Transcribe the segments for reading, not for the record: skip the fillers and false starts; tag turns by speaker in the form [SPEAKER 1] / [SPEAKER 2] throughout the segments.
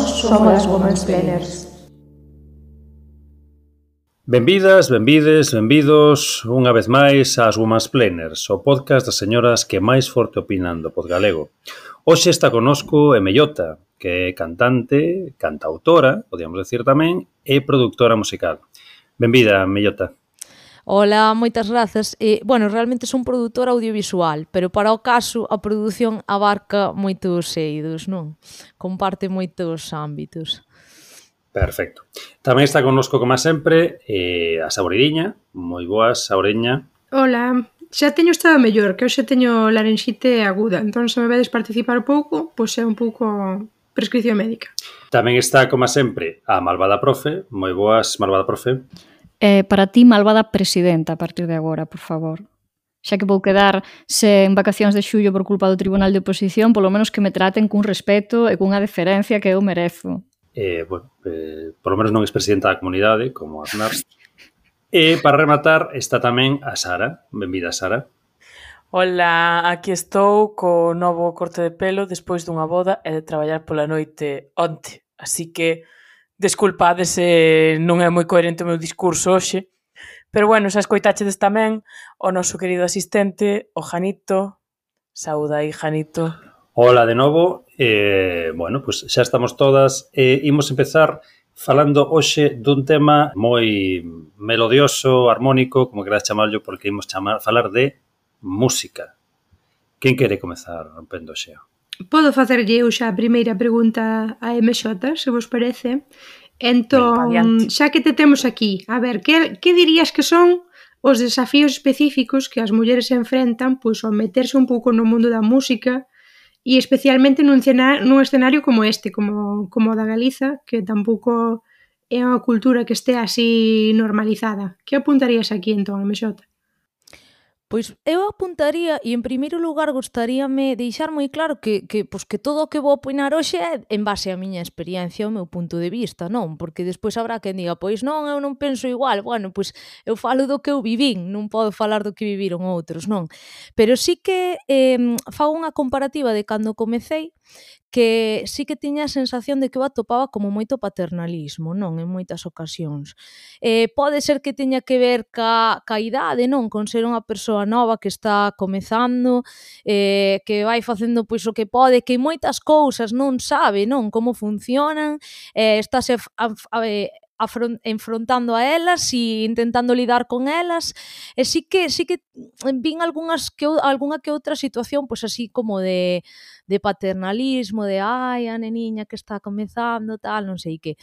[SPEAKER 1] somos as Womansplainers.
[SPEAKER 2] Benvidas, benvides, benvidos unha vez máis ás Womansplainers, o podcast das señoras que máis forte opinan do podgalego. Hoxe está connosco Mellota, que é cantante, cantautora, podíamos decir tamén, e produtora musical. Benvida, Mellota.
[SPEAKER 3] Ola, moitas grazas. Realmente son produtora audiovisual, pero para o caso a produción abarca moitos eidos, non? Comparte moitos ámbitos.
[SPEAKER 2] Perfecto. Tamén está connosco, como sempre, a Saboreirinha. Moi boas, Saboreirinha.
[SPEAKER 4] Ola, xa teño estado mellor, que hoxe teño larinxite aguda, entón se me vedes participar pouco, pois é un pouco prescripción médica.
[SPEAKER 2] Tamén está, como sempre, a Malvada Profe. Moi boas, Malvada Profe.
[SPEAKER 5] Para ti, malvada presidenta, a partir de agora, por favor. Xa que vou quedar sen vacacións de xullo por culpa do Tribunal de Oposición, polo menos que me traten cun respeto e cunha deferencia que eu merezo.
[SPEAKER 2] Por lo menos non é presidenta da comunidade, como Aznar. E para rematar está tamén a Sara. Benvida, Sara.
[SPEAKER 6] Hola, aquí estou co novo corte de pelo despois dunha boda e de traballar pola noite onte. Así que desculpades se non é moi coherente o meu discurso hoxe, pero bueno, xa escoitachedes tamén o noso querido asistente, o Janito. Saúda aí, Janito.
[SPEAKER 2] Hola de novo. Pues xa estamos todas. Imos empezar falando hoxe dun tema moi melodioso, armónico, como queráis chamarlo, porque imos falar de música. Quen quere comezar rompendo o xeo?
[SPEAKER 4] Podo facerlle eu xa a primeira pregunta a MX, se vos parece. Entón, xa que te temos aquí, a ver, que dirías que son os desafíos específicos que as mulleres se enfrentan pois ao meterse un pouco no mundo da música e especialmente nun escenario como este, como o da Galiza, que tampouco é unha cultura que este así normalizada. Que apuntarías aquí entón, MX?
[SPEAKER 3] Pois eu apuntaría, e en primeiro lugar gostaríame deixar moi claro que todo o que vou opinar hoxe é en base á miña experiencia, ao meu punto de vista, non? Porque despois habrá quen diga, pois non, eu non penso igual. Bueno, pois eu falo do que eu vivín, non podo falar do que viviron outros, non? Pero sí que fago unha comparativa de cando comecei, que sí que tiña a sensación de que eu atopaba como moito paternalismo, non? En moitas ocasións. Pode ser que teña que ver ca idade, non? Con ser unha persoa nova que está comezando, que vai facendo pois o que pode, que moitas cousas non sabe, non? Como funcionan, estáse enfrontando a elas e intentando lidar con elas, e sí que vin algunha que outra situación pois así como de paternalismo, de ai, a neniña que está comezando, tal, non sei que.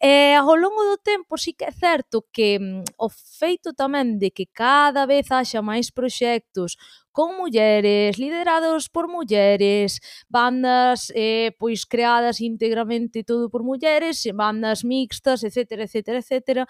[SPEAKER 3] Ao longo do tempo sí que é certo que o feito tamén de que cada vez haxa máis proxectos con mulleres, liderados por mulleres, bandas pois creadas íntegramente todo por mulleres, bandas mixtas, etcétera, etcétera, etcétera.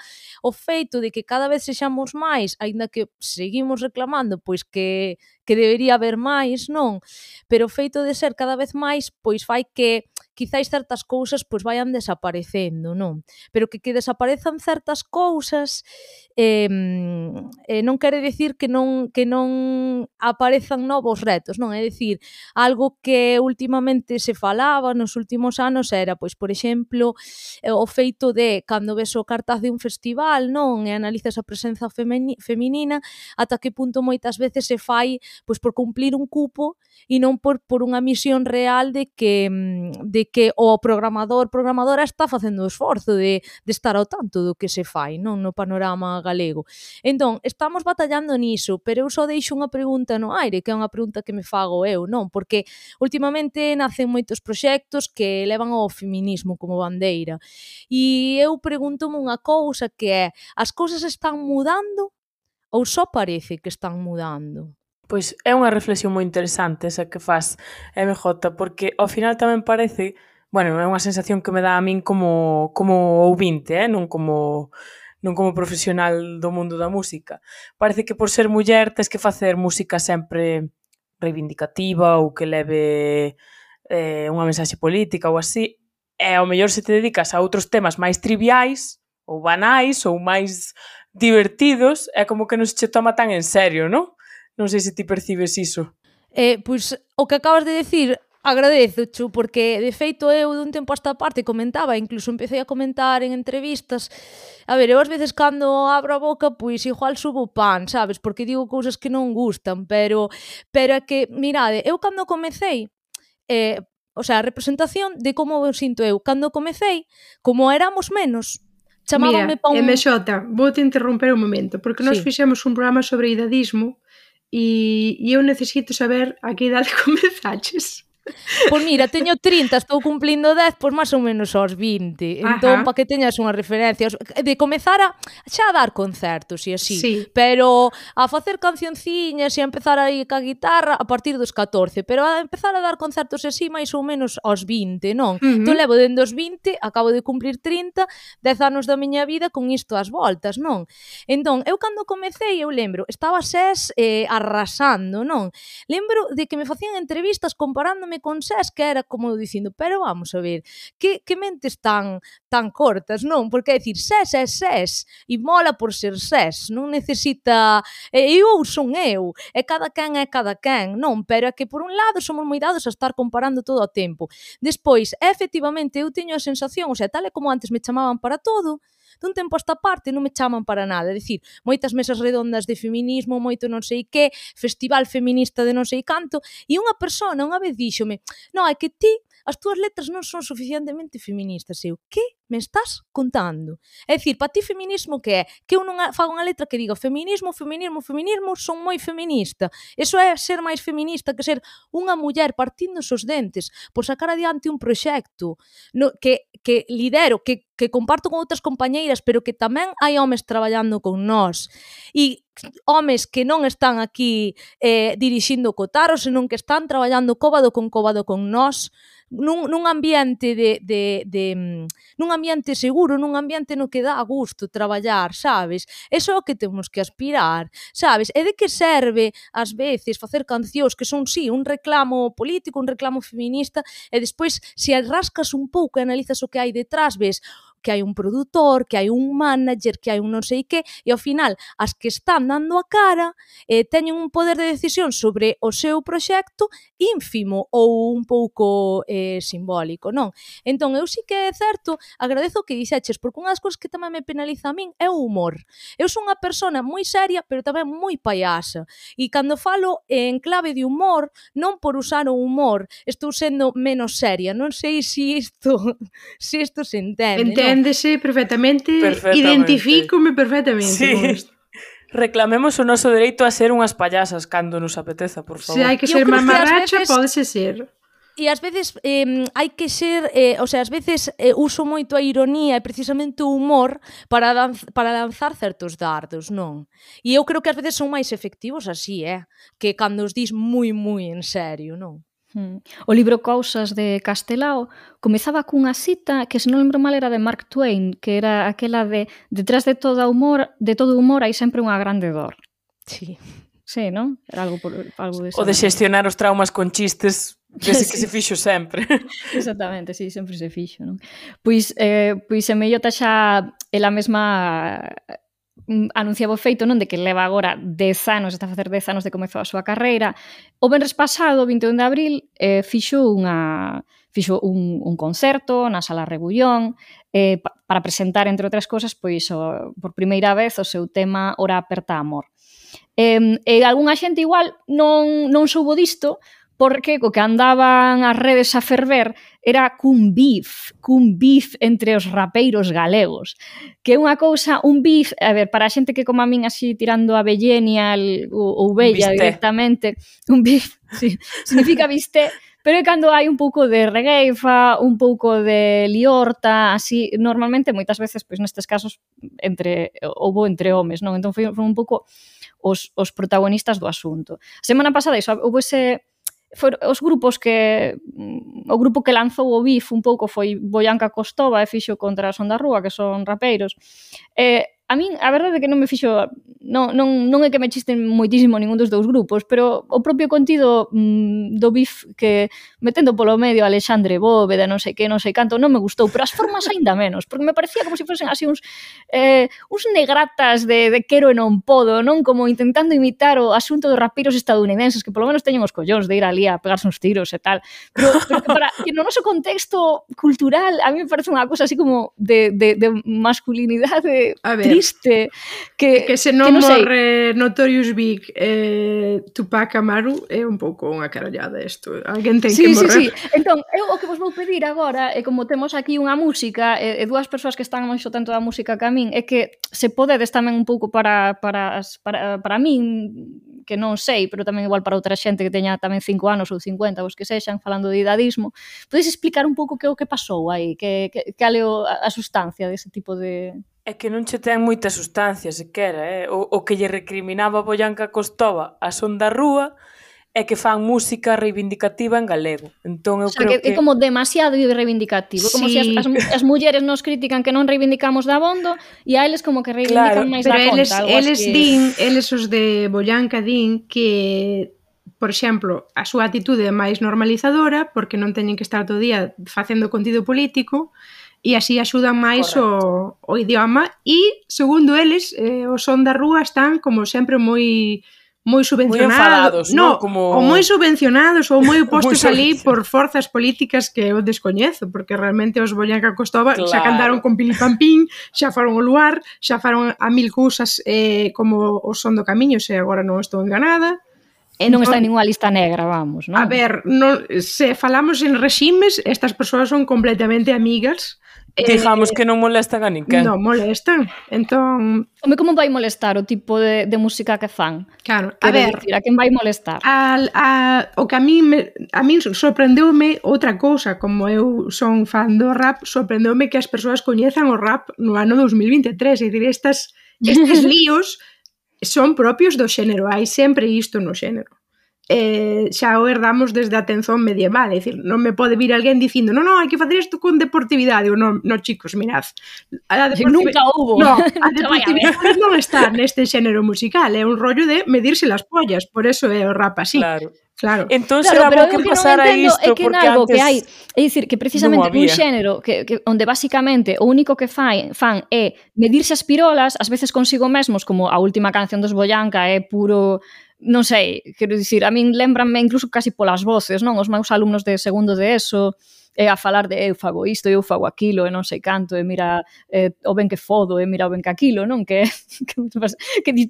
[SPEAKER 3] O feito de que cada vez sexamos máis, aínda que seguimos reclamando pois que debería haber máis, non? Pero o feito de ser cada vez máis pois fai que quizáis certas cousas pois vayan desaparecendo, non? Pero que desaparezan certas cousas non quere dicir que non aparezan novos retos, non? É dicir, algo que últimamente se falaba nos últimos anos era, pois, por exemplo, o feito de, cando ves o cartaz de un festival, non? E analizas a presenza feminina, ata que punto moitas veces se fai pois por cumplir un cupo e non por unha misión real de que o programadora está facendo o esforzo de estar ao tanto do que se fai, non? No panorama galego. Entón, estamos batallando niso, pero eu só deixo unha pregunta no aire, que é unha pregunta que me fago eu, non? Porque últimamente nacen moitos proxectos que levan ao feminismo como bandeira. E eu pregúntome unha cousa que é, as cousas están mudando ou só parece que están mudando?
[SPEAKER 6] Pois é unha reflexión moi interesante esa que faz MJ, porque ao final tamén parece, bueno, é unha sensación que me dá a min como ouvinte, non como profesional do mundo da música. Parece que por ser muller tes que facer música sempre reivindicativa ou que leve unha mensaxe política ou así, e ao mellor se te dedicas a outros temas máis triviais ou banais ou máis divertidos, é como que non se che toma tan en serio, non? Non sei se ti percibes iso.
[SPEAKER 3] Pois o que acabas de decir Agradezo, Chu, porque de feito eu dun tempo a esta parte comentaba, incluso empecé a comentar en entrevistas. A ver, eu ás veces cando abro a boca, pois igual subo pan, sabes? Porque digo cousas que non gustan, pero é que, mirade, eu cando comecei, o sea, a representación de como eu sinto eu. Cando comecei, como éramos menos, chamábanme
[SPEAKER 4] pa un... Mira, MJ, vou te interromper un momento, porque nós fixemos un programa sobre idadismo e eu necesito saber a que idade comezaches.
[SPEAKER 3] Pois mira, teño 30, estou cumplindo 10, pois máis ou menos aos 20. Entón, para que teñas unha referencia, de comezar a xa a dar concertos e así, pero a facer cancionciñas e a empezar aí ca guitarra a partir dos 14, pero a empezar a dar concertos así máis ou menos aos 20, non? Entón levo dende os 20, acabo de cumplir 30, 10 anos da miña vida con isto ás voltas, non? Entón, eu cando comecei, eu lembro, estaba SES arrasando, non? Lembro de que me facían entrevistas comparándome con SES, que era como dicindo, pero vamos a ver, que mentes tan cortas, non? Porque é dicir, SES é SES e mola por ser SES, non necesita eu son eu, e cada quen é cada quen, non? Pero é que por un lado somos moi dados a estar comparando todo o tempo. Despois, efectivamente, eu teño a sensación, o sea, tal e como antes me chamaban para todo, dun tempo a esta parte non me chaman para nada, é dicir, moitas mesas redondas de feminismo, moito non sei que, festival feminista de non sei canto, e unha persona unha vez díxome, non, é que ti, as túas letras non son suficientemente feministas, eu, que me estás contando? É dicir, para ti feminismo que é? Que eu non fago unha letra que diga feminismo, son moi feminista. Eso é ser máis feminista que ser unha muller partindo-se os dentes por sacar adiante un proxecto que lidero, que comparto con outras compañeiras, pero que tamén hai homes traballando con nós. E homes que non están aquí dirixindo o Cotaro, senón que están traballando cóbado con nós, nun ambiente nun ambiente seguro, nun ambiente no que dá gusto traballar, sabes? Eso é o que temos que aspirar, sabes? E de que serve, ás veces, facer cancións que son, sí, un reclamo político, un reclamo feminista, e despois, se rascas un pouco e analizas o que hai detrás, ves que hai un produtor, que hai un manager, que hai un non sei que, e ao final, as que están dando a cara teñen un poder de decisión sobre o seu proxecto ínfimo ou un pouco simbólico, non? Entón, eu sí que é certo, agradezo o que dixeches, porque unha das cousas que tamén me penaliza a min é o humor. Eu son unha persona moi seria, pero tamén moi payasa, e cando falo en clave de humor, non por usar o humor, estou sendo menos seria, non sei se isto se entende, non?
[SPEAKER 4] Enténdese perfectamente, identifícome perfectamente con isto.
[SPEAKER 6] Reclamemos o noso dereito a ser unhas payasas cando nos apeteza, por favor.
[SPEAKER 4] Se hai que ser mamarracha, pódese ser.
[SPEAKER 3] E ás veces hai que ser, o sea, ás veces uso moito a ironía e precisamente o humor para lanzar certos dardos, non? E eu creo que ás veces son máis efectivos así, que cando os dis moi, moi en serio, non?
[SPEAKER 5] O libro Cousas de Castelao comezaba cunha cita que, se non lembro mal, era de Mark Twain, que era aquela de detrás de todo humor hai sempre unha grande dor.
[SPEAKER 3] Sí.
[SPEAKER 5] Sí, non? Era algo desa.
[SPEAKER 6] O de xestionar os traumas con chistes, desde que se fixo sempre.
[SPEAKER 5] Exactamente, sí, sempre se fixo, non? Pois en Mellota xa ela mesma anunciaba o feito, non, de que leva agora 10 anos, está a facer 10 anos de comezou a súa carreira. O venres pasado, 21 de abril, fixo un concerto na Sala Rebullón para presentar, entre outras cousas, pois por primeira vez o seu tema Ora aperta amor. E algunha xente igual non soubo disto, porque co que andaban as redes a ferver era cun beef entre os rapeiros galegos, que é unha cousa, un beef, a ver, para a xente que como a min así tirando a Bellenial ou Bella directamente, un beef, sí, significa bisté, pero é cando hai un pouco de regueifa, un pouco de liorta, así, normalmente, moitas veces, pois nestes casos, houbo entre homes, non? Entón foi un pouco os protagonistas do asunto. A semana pasada, houve os grupos o grupo que lanzou o BIF un pouco foi Boyanca Costova e fixo contra a Son da Rúa, que son rapeiros. a min a verdade é que non me fixo non é que me chisten moitísimo ningún dos dous grupos, pero o propio contido do BIF que metendo polo medio Alexandre Bóveda, non sei que, non sei canto, non me gustou, pero as formas aínda menos, porque me parecía como se fosen así uns negratas de quero e non podo, non? Como intentando imitar o asunto dos rapiros estadounidenses que polo menos teñen os collóns de ir ali a pegarse uns tiros e tal, pero que no noso contexto cultural a mí me parece unha cosa así como de masculinidade triste
[SPEAKER 4] que se non morre Notorious Big Tupac Amaru é un pouco unha carallada isto, alguén ten que morrer.
[SPEAKER 5] Sí. Entón, eu o que vos vou pedir agora é como temos aquí unha música e dúas persoas que están moito tanto da música que a min, é que se podedes tamén un pouco para min, que non sei, pero tamén igual para outra xente que teña tamén 5 anos ou 50, os que sexan, falando de idadismo, podes explicar un pouco que o que pasou aí, que é a sustancia dese tipo de...
[SPEAKER 6] É que non che ten moita sustancia, sequera, o que lle recriminaba a Boyanca Costova a Son da Rúa é que fan música reivindicativa en galego. Entón eu creo que
[SPEAKER 5] é como demasiado reivindicativo, como se as mulleres nos critican que non reivindicamos da abondo e a eles como que reivindican máis da conta.
[SPEAKER 4] Eles os de Boyanca din que, por exemplo, a súa atitude é máis normalizadora porque non teñen que estar todo o día facendo contido político e así axudan máis o idioma e, segundo eles, o Son da Rúa están como sempre moi subvencionados, ou moi subvencionados ou moi postos ali por forzas políticas que eu descoñezo, porque realmente os Boyanca Costova xa cantaron con Pilipampín, xa foron ao Luar, xa foron a mil cousas como o Son do Camiño, se agora non estou enganada.
[SPEAKER 5] E non está en ninguna lista negra, vamos, non?
[SPEAKER 4] A ver, se falamos en reximes, estas persoas son completamente amigas.
[SPEAKER 6] Digamos que non molestan a ninguén.
[SPEAKER 4] Non molestan, entón...
[SPEAKER 5] Como vai molestar o tipo de música que fan?
[SPEAKER 4] Claro, a ver...
[SPEAKER 5] A quen vai molestar?
[SPEAKER 4] O que a min sorprendeume outra cousa, como eu son fan do rap, sorprendeume que as persoas coñezan o rap no ano 2023, é dicir, estes líos son propios do xénero, hai sempre isto no xénero. Xa o herdamos desde a atención medieval, é dicir, non me pode vir alguén dicindo non, hai que facer isto con deportividade, ou non, chicos, mirad,
[SPEAKER 5] nunca houbo.
[SPEAKER 4] No, a deportividade non está neste xénero musical, é un rollo de medirse las pollas, por eso é o rap así. Claro.
[SPEAKER 6] Entón será bo que pasara isto,
[SPEAKER 5] porque
[SPEAKER 6] antes
[SPEAKER 5] que hai, é dicir, que precisamente un xénero que onde basicamente o único que fan é medirse as pirolas, ás veces consigo mesmos, como a última canción dos Boyanca é puro, non sei, quero dicir, a min lembranme incluso casi polas voces, non? Os meus alumnos de segundo de ESO a falar de eu fago isto, eu fago aquilo, e non sei canto, e mira o ben que fodo, e mira o ben que aquilo, non? Que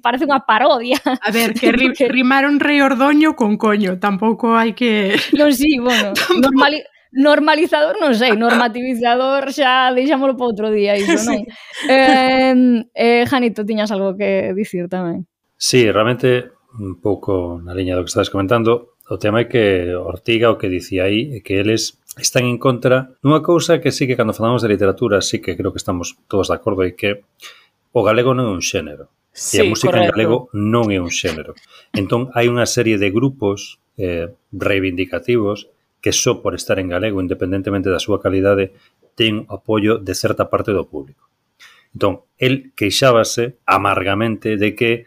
[SPEAKER 5] parece unha parodia.
[SPEAKER 4] A ver, que rimaron Rei Ordoño con coño, tampouco hai que...
[SPEAKER 5] Non, sí, bueno, normalizador, non sei, normativizador xa deixámoslo para outro día, iso, non? Janito, tiñas algo que dicir tamén?
[SPEAKER 2] Sí, realmente, un pouco na liña do que estás comentando, o tema é que Ortiga o que dicía aí é que eles están en contra dunha cousa que sí que cando falamos de literatura sí que creo que estamos todos de acordo e que o galego non é un xénero.
[SPEAKER 6] Sí,
[SPEAKER 2] e a música en galego non é un xénero. Entón, hai unha serie de grupos reivindicativos que só por estar en galego, independentemente da súa calidade, ten apoio de certa parte do público. Entón, el queixábase amargamente de que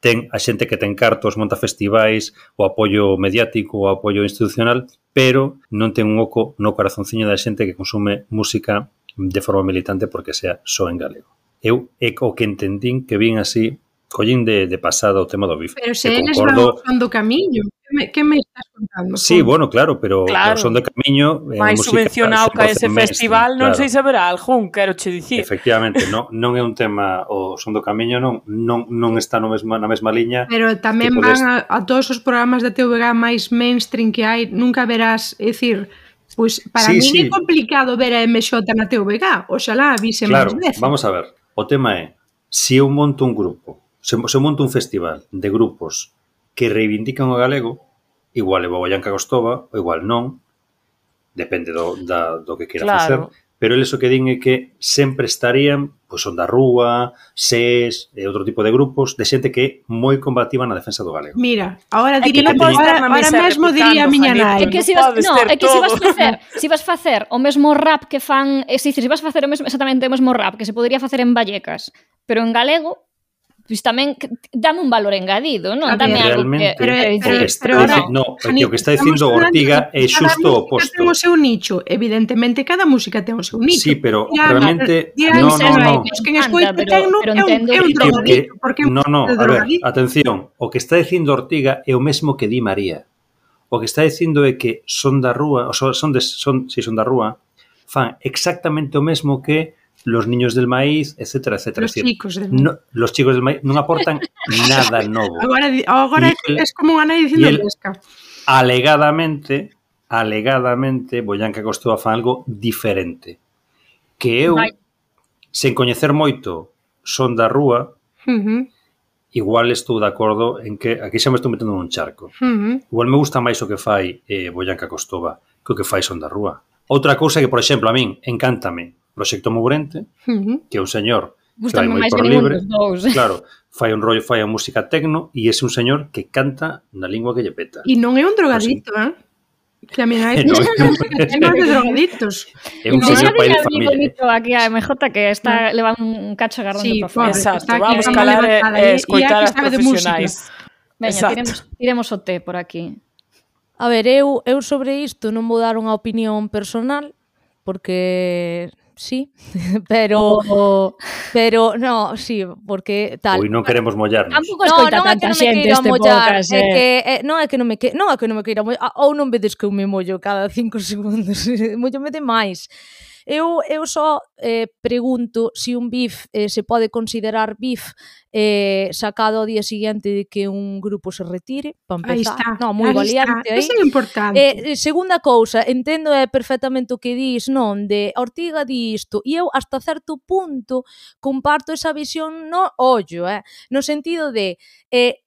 [SPEAKER 2] ten a xente que ten cartos, monta festivais, o apoio mediático, o apoio institucional, pero non ten un oco no corazonciño da xente que consume música de forma militante porque sea só en galego. Eu é o que entendín que vin así, collín de pasada o tema do BIF.
[SPEAKER 4] Pero se eles van ao Son do Camiño, que me estás contando?
[SPEAKER 2] Sí, bueno, claro, pero o Son do Camiño é
[SPEAKER 6] máis subvencionado que ese festival, non sei se haberá algún, quero che dicir.
[SPEAKER 2] Efectivamente, non é un tema, o Son do Camiño non está na mesma liña.
[SPEAKER 4] Pero tamén van a todos os programas da TVG máis mainstream que hai, nunca verás, é dicir, pois para mí é complicado ver a MX na TVG, oxalá avise máis veces.
[SPEAKER 2] Claro, vamos a ver, o tema é, se eu monto un grupo, se monto un festival de grupos que reivindican o galego, igual é Boyanca Costova, ou igual non, depende do que queira facer, pero eles o que din é que sempre estarían pois Son da Rúa, SES e outro tipo de grupos de xente que é moi combativa na defensa do galego.
[SPEAKER 4] Mira, ahora
[SPEAKER 6] É que
[SPEAKER 4] diría,
[SPEAKER 6] non podes estar na
[SPEAKER 4] ahora
[SPEAKER 6] mesa
[SPEAKER 4] mesmo diría a
[SPEAKER 6] replicando,
[SPEAKER 4] miña
[SPEAKER 6] Juanito.
[SPEAKER 4] nai.
[SPEAKER 5] É que se vas, no, é que se vas facer o mesmo rap que fan, se vas facer o mesmo, exactamente o mesmo rap que se podría facer en Vallecas, pero en galego, pois tamén dame un valor engadido, non? Dame algo que...
[SPEAKER 2] O que está dicindo Ortiga é xusto o oposto.
[SPEAKER 4] Ten o seu nicho, evidentemente cada música ten o seu nicho.
[SPEAKER 2] Sí, pero realmente
[SPEAKER 4] no.
[SPEAKER 2] Que
[SPEAKER 4] quen escoita tecno é un drogadito, porque
[SPEAKER 2] a ver, atención, o que está dicindo Ortiga é o mesmo que di María. O que está dicindo é que Son da Rúa, Son da Rúa, fan exactamente o mesmo que Los Niños del Maíz, etcétera, etcétera.
[SPEAKER 4] Los chicos del maíz.
[SPEAKER 2] Los chicos del maíz non aportan nada novo.
[SPEAKER 4] Agora é como unha nai dicindo pesca.
[SPEAKER 2] Alegadamente, Boyanca Costova fan algo diferente. Que eu, sen coñecer moito Son da Rúa, igual estou de acordo en que aquí xa me estou metendo nun charco. Igual me gusta máis o que fai Boyanca Costova que o que fai Son da Rúa. Outra cousa que, por exemplo, a min encántame Proxecto Mourente, que é un señor que vai moi por libre, claro, fai un rollo, fai a música tecno e é un señor que canta na lingua que lle peta.
[SPEAKER 4] E non é un drogadito, Que a miña é máis de drogaditos.
[SPEAKER 2] É un señor pai de familia.
[SPEAKER 5] Aquí a MJ que está levando un cacho agarrando para fora.
[SPEAKER 6] Exacto, vamos calar e escoitar as profesionais.
[SPEAKER 5] Veña, tiremos o té por aquí.
[SPEAKER 3] A ver, eu sobre isto non vou dar unha opinión personal, porque sí, pero no, sí, porque tal.
[SPEAKER 2] Pois non queremos mollarnos.
[SPEAKER 5] Tampouco escoita tanta xente este podcast.
[SPEAKER 3] Non é que non me queira mollar, ou non vedes que eu me mollo cada 5 segundos, mollome demais. Eu só pregunto se un bif se pode considerar bif sacado ao día seguinte de que un grupo se retire, para empezar. No, moi valiente aí.
[SPEAKER 4] Eso é importante.
[SPEAKER 3] Segunda cousa, entendo perfectamente o que dis, non, de Ortiga di isto, e eu hasta certo punto comparto esa visión no ollo, no sentido de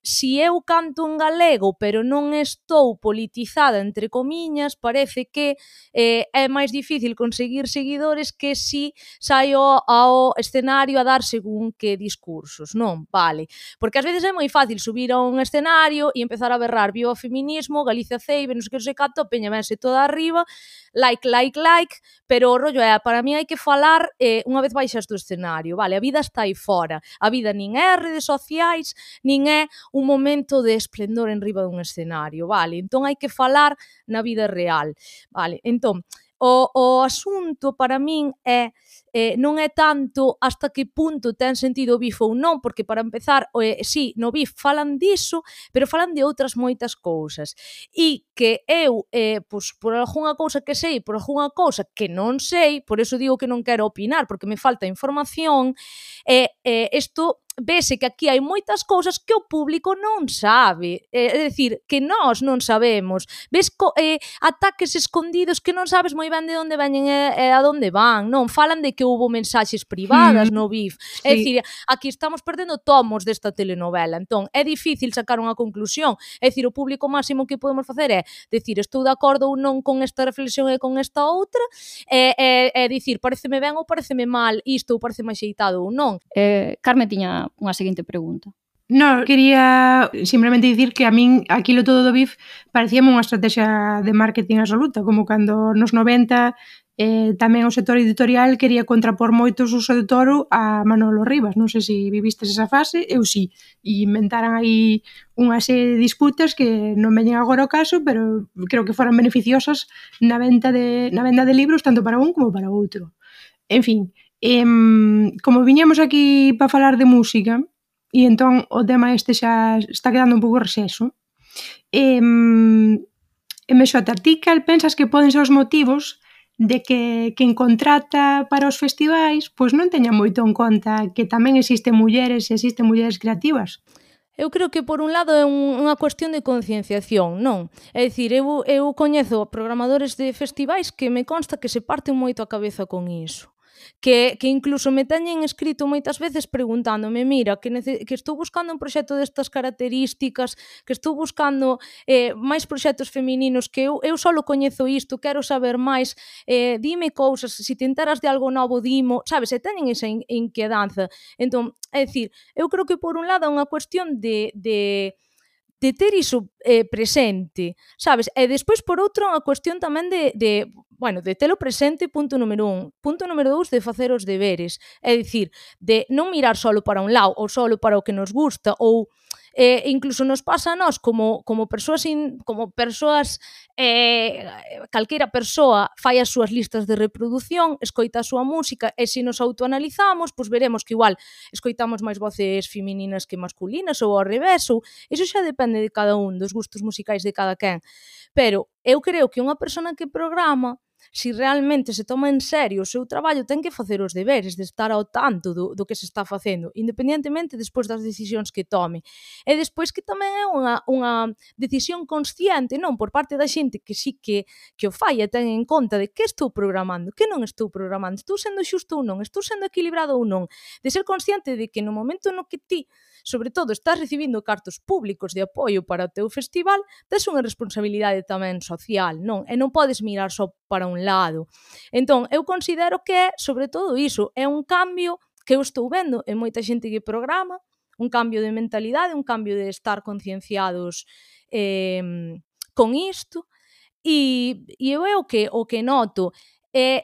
[SPEAKER 3] si eu canto en galego pero non estou politizada entre comiñas, parece que é máis difícil conseguir seguidores que si saio ao escenario a dar según que discursos, non? Vale, porque ás veces é moi fácil subir a un escenario e empezar a berrar viva o feminismo, Galicia ceibe, non sei que, non sei canto, a peña vense toda arriba, like, pero o rollo é, para mí hai que falar unha vez baixas do escenario, vale, a vida está aí fora, a vida nin é redes sociais, nin é un momento de esplendor en riba dun escenario, vale, entón hai que falar na vida real, vale, entón, o asunto para min é non é tanto hasta que punto ten sentido o bif ou non, porque para empezar, sí, no bif falan diso, pero falan de outras moitas cousas. E que eu, pois, por algunha cousa que sei, por algunha cousa que non sei, por eso digo que non quero opinar, porque me falta información, isto vese que aquí hai moitas cousas que o público non sabe, é dicir, que nós non sabemos, ves ataques escondidos que non sabes moi ben de onde veñen e a onde van, non, falan de que houbo mensaxes privadas no BIF, é dicir, aquí estamos perdendo tomos desta telenovela, entón é difícil sacar unha conclusión, é dicir, o público máximo que podemos facer é dicir, estou de acordo ou non con esta reflexión e con esta outra, é dicir, pareceme ben ou pareceme mal isto ou pareceme axeitado ou non.
[SPEAKER 5] Carme tiña unha seguinte pregunta.
[SPEAKER 4] No, quería simplemente dicir que a min aquilo todo do BIF parecíame unha estrategia de marketing absoluta, como cando nos 90 tamén o sector editorial quería contrapor moito o Suso de Toro a Manolo Rivas. Non sei se vivistes esa fase, eu sí, e inventaran aí unha serie de disputas que non veñen agora ao caso, pero creo que foran beneficiosas na venda de libros tanto para un como para outro. En fin, como viñamos aquí para falar de música, e entón o tema este xa está quedando un pouco rexexo, MX, ti cal pensas que poden ser os motivos de que quen contrata para os festivais pois non teña moito en conta que tamén existen mulleres e existen mulleres creativas?
[SPEAKER 3] Eu creo que por un lado é unha cuestión de concienciación, non? É dicir, eu coñezo programadores de festivais que me consta que se parten moito a cabeza con iso. que incluso me teñen escrito moitas veces preguntándome, mira, que estou buscando un proxecto destas características, que estou buscando máis proxectos femininos, que eu só coñezo isto, quero saber máis, dime cousas, se te enteras de algo novo, dimo, sabes, e teñen esa inquedanza. Entón, é dicir, eu creo que por un lado é unha cuestión de ter iso presente, sabes? E despois, por outro, a cuestión tamén de telo presente, punto número 1. Punto número 2, de facer os deberes. É dicir, de non mirar solo para un lado ou solo para o que nos gusta, ou incluso nos pasa a nós como persoas calquera persoa fai as súas listas de reproducción, escoita a súa música, e se nos autoanalizamos, pois veremos que igual escoitamos máis voces femininas que masculinas, ou ao revés, ou iso xa depende de cada un, dos gustos musicais de cada quen. Pero eu creo que unha persona que programa, se realmente se toma en serio o seu traballo, ten que facer os deberes, de estar ao tanto do que se está facendo, independentemente despois das decisións que tome. E despois que tamén é unha decisión consciente, non, por parte da xente que sí que o fai e ten en conta de que estou programando, que non estou programando, estou sendo xusto ou non, estou sendo equilibrado ou non, de ser consciente de que no momento no que ti, sobre todo, estás recibindo cartos públicos de apoio para o teu festival, tes unha responsabilidade tamén social, non? E non podes mirar só para un lado. Entón, eu considero que é, sobre todo iso, é un cambio que eu estou vendo en moita xente que programa, un cambio de mentalidade, un cambio de estar concienciados con isto, e eu é o que noto.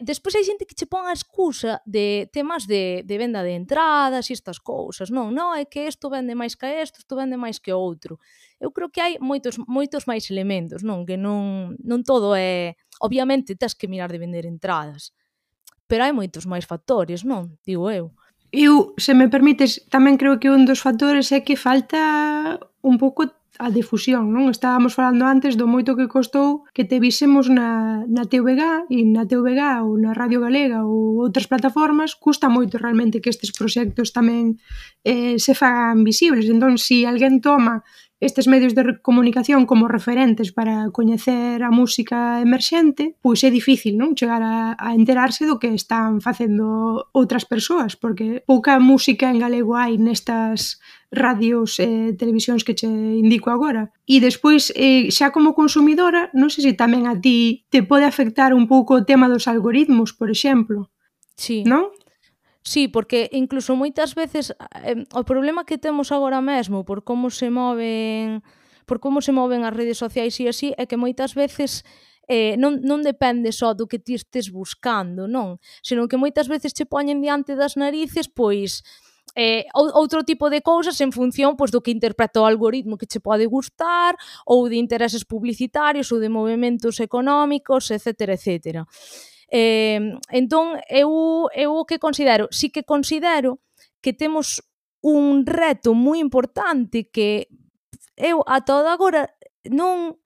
[SPEAKER 3] Despois hai xente que che pon a excusa de temas de venda de entradas e estas cousas, non, é que isto vende máis que isto vende máis que outro. Eu creo que hai moitos máis elementos, non, que non todo é... Obviamente, tes que mirar de vender entradas, pero hai moitos máis factores, non? Digo eu.
[SPEAKER 4] Eu, se me permites, tamén creo que un dos factores é que falta un pouco a difusión, non? Estábamos falando antes do moito que costou que te vísemos na TVG e na TVG ou na Radio Galega ou outras plataformas, custa moito realmente que estes proxectos tamén se fagan visibles. Entón, se alguén toma estes medios de comunicación como referentes para coñecer a música emerxente, pois é difícil, non? Chegar a enterarse do que están facendo outras persoas, porque pouca música en galego hai nestas radios e televisións que che indico agora. E despois, xa como consumidora, non sei se tamén a ti te pode afectar un pouco o tema dos algoritmos, por exemplo.
[SPEAKER 3] Sí.
[SPEAKER 4] Non?
[SPEAKER 3] Sí, porque incluso moitas veces o problema que temos agora mesmo por como se moven as redes sociais e así é que moitas veces non depende só do que ti estés buscando, non? Senón que moitas veces che poñen diante das narices, pois, outro tipo de cousas en función pois, do que interpreta o algoritmo que che pode gustar, ou de intereses publicitarios, ou de movimentos económicos, etcétera, etcétera. Entón, eu o que considero, sí que considero que temos un reto moi importante que eu ata agora non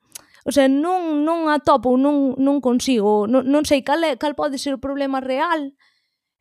[SPEAKER 3] atopo, non consigo, non sei cal pode ser o problema real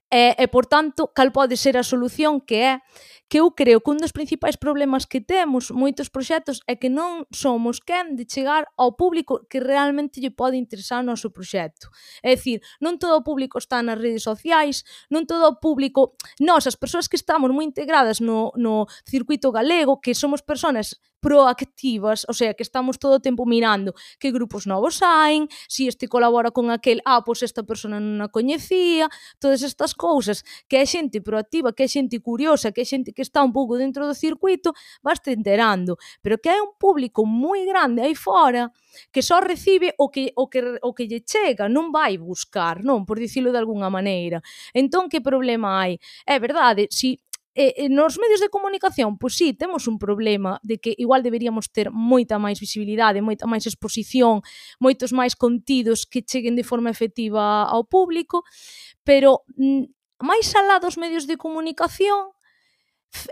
[SPEAKER 3] e por tanto, cal pode ser a solución, que é que eu creo que un dos principais problemas que temos moitos proxectos é que non somos quen de chegar ao público que realmente lle pode interesar o noso proxecto. É dicir, non todo o público está nas redes sociais, non todo o público... Nós, as persoas que estamos moi integradas no circuito galego, que somos persoas proactivas, o sea, que estamos todo o tempo mirando que grupos novos saen, se este colabora con aquel, pois esta persona non a coñecía, todas estas cousas, que é xente proactiva, que é xente curiosa, que é xente que está un pouco dentro do circuito, vaste enterando, pero que hai un público moi grande aí fora que só recibe o que lle chega, non vai buscar, non, por dicilo de algunha maneira. Entón, que problema hai? É verdade, si nos medios de comunicación, pois sí, temos un problema de que igual deberíamos ter moita máis visibilidade, moita máis exposición, moitos máis contidos que cheguen de forma efectiva ao público, pero máis alá dos medios de comunicación,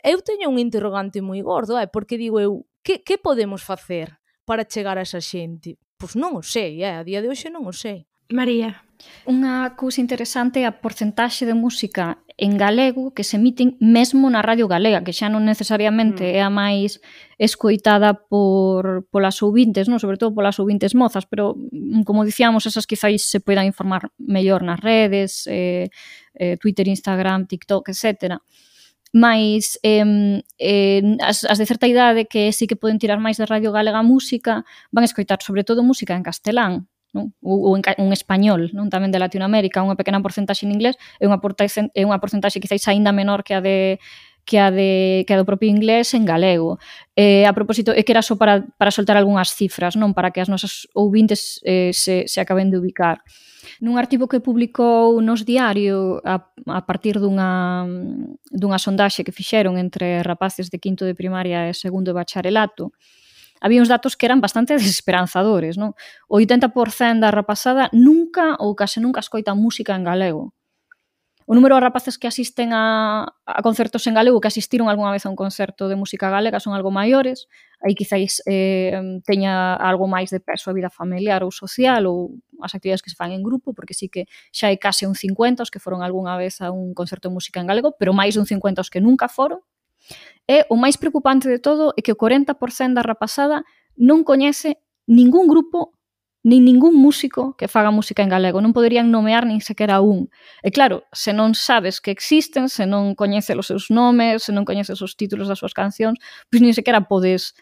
[SPEAKER 3] eu teño un interrogante moi gordo, porque digo eu, que podemos facer para chegar a esa xente? Pois non o sei, a día de hoxe non o sei.
[SPEAKER 4] María.
[SPEAKER 5] Unha cousa interesante é a porcentaxe de música en galego que se emiten mesmo na Radio Galega, que xa non necesariamente é a máis escoitada polas ouvintes, non? Sobre todo polas ouvintes mozas, pero, como dicíamos, esas quizáis se poidan informar mellor nas redes, Twitter, Instagram, TikTok, etc. Mais as de certa idade que sí que poden tirar máis de Radio Galega música van escoitar sobre todo música en castelán, non? Ou en español, non? Tamén de Latinoamérica, unha pequena porcentaxe en inglés e unha porcentaxe quizáis aínda menor que a do propio inglés en galego. A propósito, é que era só para soltar algunhas cifras, non? Para que as nosas ouvintes se acaben de ubicar. Nun artigo que publicou nos Diario a partir dunha sondaxe que fixeron entre rapaces de quinto de primaria e segundo de bacharelato, había uns datos que eran bastante desesperanzadores, non? O 80% da rapazada nunca ou case nunca escoita música en galego. O número de rapaces que asisten a concertos en galego, que asistiron algunha vez a un concerto de música galega, son algo maiores. Aí quizáis teña algo máis de peso a vida familiar ou social ou as actividades que se fan en grupo, porque sí que xa hai case un 50 os que foron algunha vez a un concerto de música en galego, pero máis dun 50 os que nunca foron. E o máis preocupante de todo é que o 40% da rapazada non coñece ningún grupo nin ningún músico que faga música en galego. Non poderían nomear nin sequera un. E claro, se non sabes que existen, se non coñeces os seus nomes, se non coñeces os títulos das súas cancións, pois nin sequera podes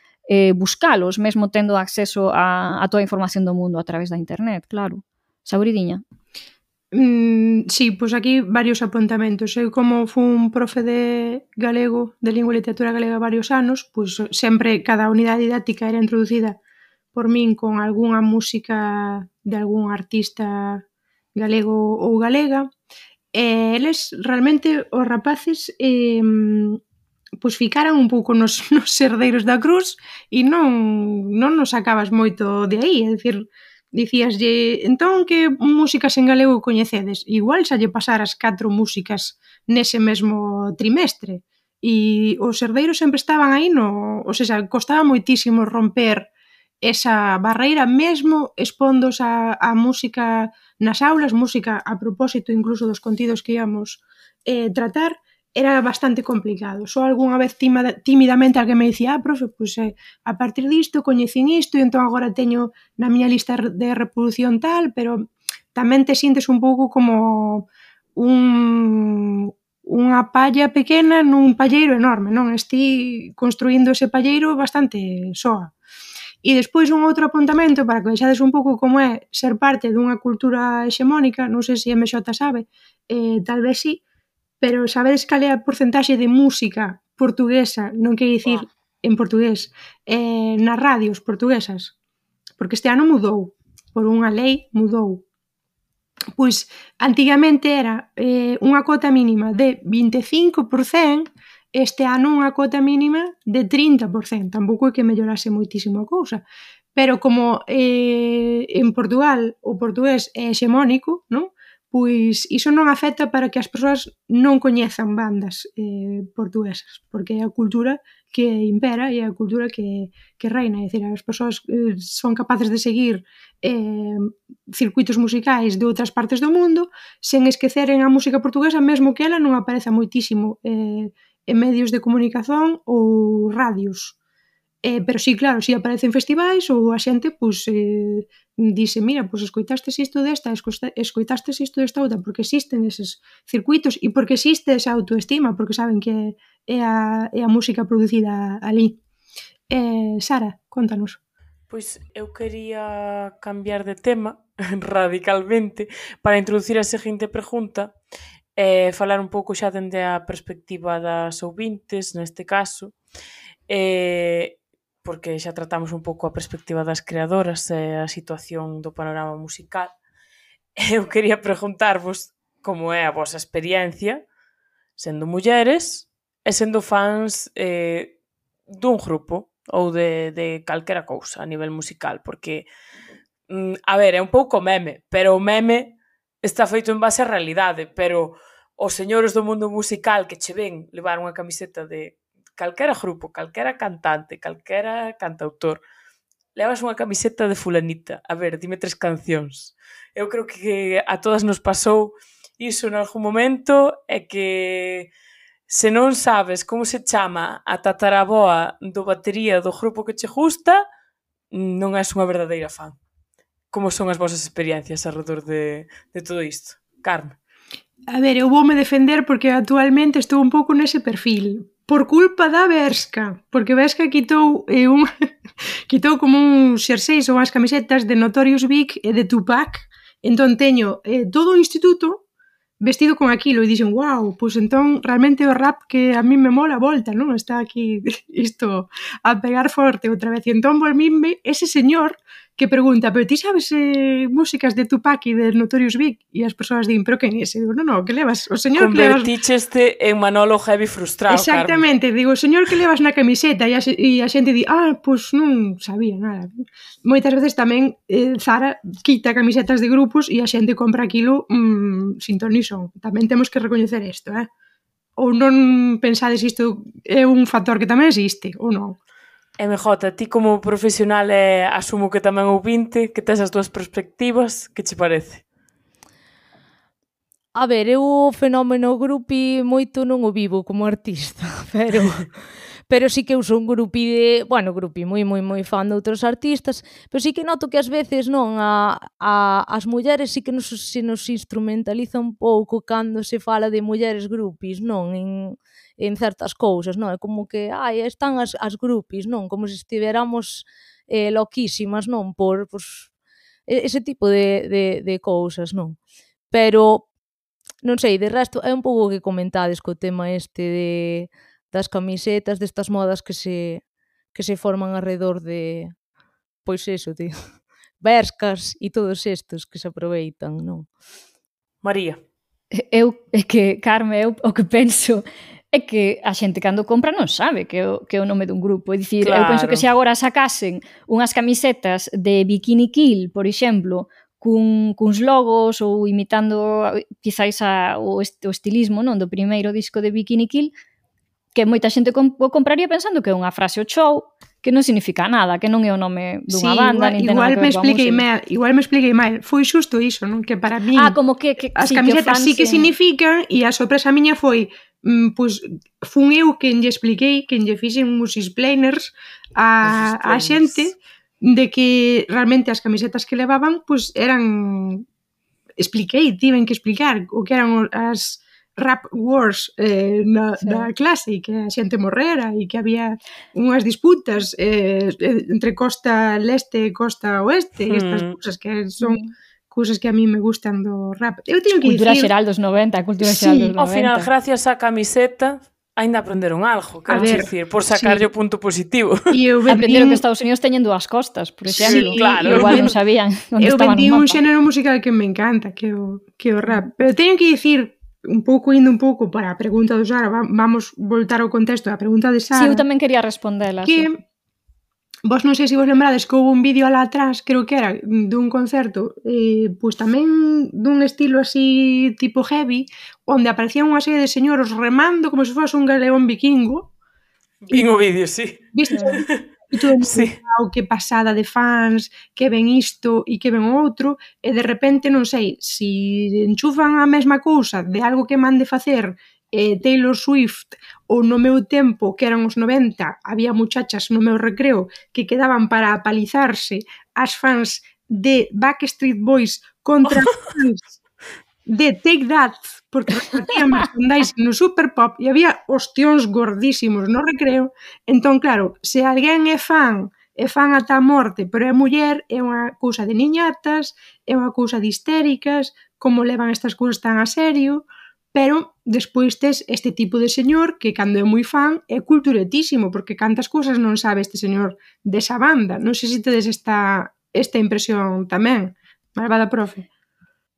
[SPEAKER 5] buscalos, mesmo tendo acceso a toda a información do mundo a través da internet, claro. Sauridiña?
[SPEAKER 4] Sí, pois aquí varios apontamentos. Eu como fun profe de galego, de lingua e literatura galega varios anos, pois sempre cada unidade didáctica era introducida por min con algunha música de algún artista galego ou galega, e eles realmente, os rapaces, pois ficaran un pouco nos herdeiros da cruz e non nos sacabas moito de aí, é dicir, dicíaslle, entón, que músicas en galego coñecedes? Igual xa lle pasaras 4 músicas nese mesmo trimestre, e os herdeiros sempre estaban aí ou seja, costaba moitísimo romper esa barreira, mesmo expondos a música nas aulas, música a propósito incluso dos contidos que íamos tratar, era bastante complicado. Só algunha vez tímidamente alguén me dicía, profe, pois a partir disto coñecín isto e entón agora teño na miña lista de reproducción tal, pero tamén te sintes un pouco como unha palla pequena nun palleiro enorme, non? Esti construindo ese palleiro bastante soa. E despois un outro apuntamento para que vexades un pouco como é ser parte dunha cultura hexemónica, non sei se MX sabe, tal vez sí, pero sabedes cal é a porcentaxe de música portuguesa, non quero dicir en portugués, nas radios portuguesas? Porque este ano mudou, por unha lei mudou. Pois antigamente era unha cota mínima de 25%, este ano unha cota mínima de 30%, tampouco é que mellorase moitísimo a cousa, pero como en Portugal o portugués é hexemónico, non? Pois iso non afecta para que as persoas non coñezan bandas portuguesas, porque é a cultura que impera e é a cultura que reina, é dicir, as persoas son capaces de seguir circuitos musicais de outras partes do mundo sen esqueceren a música portuguesa, mesmo que ela non apareza moitísimo en medios de comunicación ou radios. Pero sí, claro, si aparece en festivais ou a xente, pois, dice, mira, pois escoitastes isto desta, escoitastes isto desta outra, porque existen eses circuitos e porque existe esa autoestima, porque saben que é a música producida ali. Sara, contanos.
[SPEAKER 6] Pois eu quería cambiar de tema radicalmente para introducir a seguinte pregunta e falar un pouco xa dende a perspectiva das ouvintes, neste caso, porque xa tratamos un pouco a perspectiva das creadoras e a situación do panorama musical. Eu quería preguntarvos como é a vosa experiencia sendo mulleres e sendo fans dun grupo ou de calquera cousa a nivel musical, porque, a ver, é un pouco meme, pero o meme está feito en base á realidade, pero os señores do mundo musical que che ven levar unha camiseta de calquera grupo, calquera cantante, calquera cantautor, levas unha camiseta de fulanita. A ver, dime 3 cancións. Eu creo que a todas nos pasou iso en algún momento, é que se non sabes como se chama a tataraboa do batería do grupo que che gusta, non és unha verdadeira fan. Como son as vosas experiencias alrededor de todo isto? Carme.
[SPEAKER 4] A ver, eu voume defender porque actualmente estou un pouco nese perfil. Por culpa da Bershka. Porque Bershka quitou quitou como uns xerseis ou as camisetas de Notorious Big e de Tupac. Entón teño todo o instituto vestido con aquilo e dixen, wow, pois entón realmente o rap que a mí me mola a volta, non? Está aquí isto a pegar forte outra vez. E entón volvíme ese señor que pregunta, pero ti sabes músicas de Tupac e de Notorious Big? E as persoas din, pero quen é ese? Digo, no, que levas? O señor que levas...
[SPEAKER 6] Converticheste en Manolo Heavy frustrado,
[SPEAKER 4] Exactamente, Carmen. Digo, o señor que levas na camiseta e a xente di, pois non sabía nada. Moitas veces tamén Zara quita camisetas de grupos e a xente compra aquilo sin ton ni son. Tamén temos que recoñecer isto, Ou non pensades isto é un factor que tamén existe, ou non?
[SPEAKER 6] MJ, ti como profesional asumo que tamén ouvinte, que tes as túas perspectivas, que che parece?
[SPEAKER 3] A ver, eu o fenómeno grupi moito non o vivo como artista, pero sí que eu son grupi moi fan de outros artistas, pero sí que noto que ás veces non as mulleres sí que se nos instrumentaliza un pouco cando se fala de mulleres grupis, non? En certas cousas, non? É como que, están as grupis, non? Como se estiveramos loquísimas, non? Por ese tipo de cousas, non? Pero non sei, de resto, é un pouco que comentades co tema das camisetas, destas modas que se forman alrededor de, pois eso, de Bershkas e todos estos que se aproveitan, non?
[SPEAKER 6] María.
[SPEAKER 5] É que, Carme, o que penso é que a xente cando compra non sabe que é o nome dun grupo. É dicir, claro. Eu penso que se agora sacasen unhas camisetas de Bikini Kill, por exemplo, cuns logos ou imitando quizáis o estilismo, non, do primeiro disco de Bikini Kill, que moita xente o compraría pensando que é unha frase o show, que non significa nada, que non é o nome dunha banda, nin ten nada que ver coa música.
[SPEAKER 4] Igual me expliquei mal. Foi xusto iso, non? Que para mí
[SPEAKER 5] como que
[SPEAKER 4] as camisetas sí que significan, e a sorpresa miña foi pois fun eu quen lle expliquei, quen lle fixen uns explainers a xente de que realmente as camisetas que levaban pois eran, tiven que explicar o que eran as rap wars na clase, e que a xente morrera e que había unhas disputas entre costa leste e costa oeste, e estas cousas que son cousas que a mí me gustan do rap. Eu teño que
[SPEAKER 5] cultura
[SPEAKER 4] dicir...
[SPEAKER 5] xeral dos 90, cultura xeral dos 90.
[SPEAKER 6] Ao final, gracias á camiseta, ainda aprenderon algo, quero dicir, por sacarlle o punto positivo.
[SPEAKER 5] Aprenderon que Estados Unidos teñen dúas costas, por exemplo.
[SPEAKER 6] Sí, claro.
[SPEAKER 5] Igual non sabían onde estaban
[SPEAKER 4] no mapa. Eu vendí un xénero musical que me encanta, que o rap. Pero teño que dicir, indo un pouco para a pregunta do Sara, vamos voltar ao contexto da pregunta de Sara.
[SPEAKER 5] Sí, eu tamén quería respondela.
[SPEAKER 4] Que vos non sei se vos lembrades que houve un vídeo alá atrás, creo que era dun concerto, pois tamén dun estilo así tipo heavy, onde aparecían unha serie de señoros remando como se fose un galeón vikingo.
[SPEAKER 6] Vin o vídeo, sí.
[SPEAKER 4] Viste? E todo
[SPEAKER 6] sí.
[SPEAKER 4] Que pasada de fans, que ven isto e que ven outro, e de repente non sei, si enchufan a mesma cousa de algo que mande facer Taylor Swift, ou no meu tempo, que eran os 90, había muchachas no meu recreo que quedaban para apalizarse as fans de Backstreet Boys contra as fans de Take That, porque repartían merchandising no Super Pop e había ostións gordísimos no recreo. Entón, claro, se alguén é fan ata a morte, pero é muller, é unha cousa de niñatas, é unha cousa de histéricas, como levan estas cousas tan a serio. Pero despois tes este tipo de señor que cando é moi fan é culturetísimo, porque cantas cousas non sabe este señor desa banda. Non sei se tedes esta impresión tamén, malvada profe.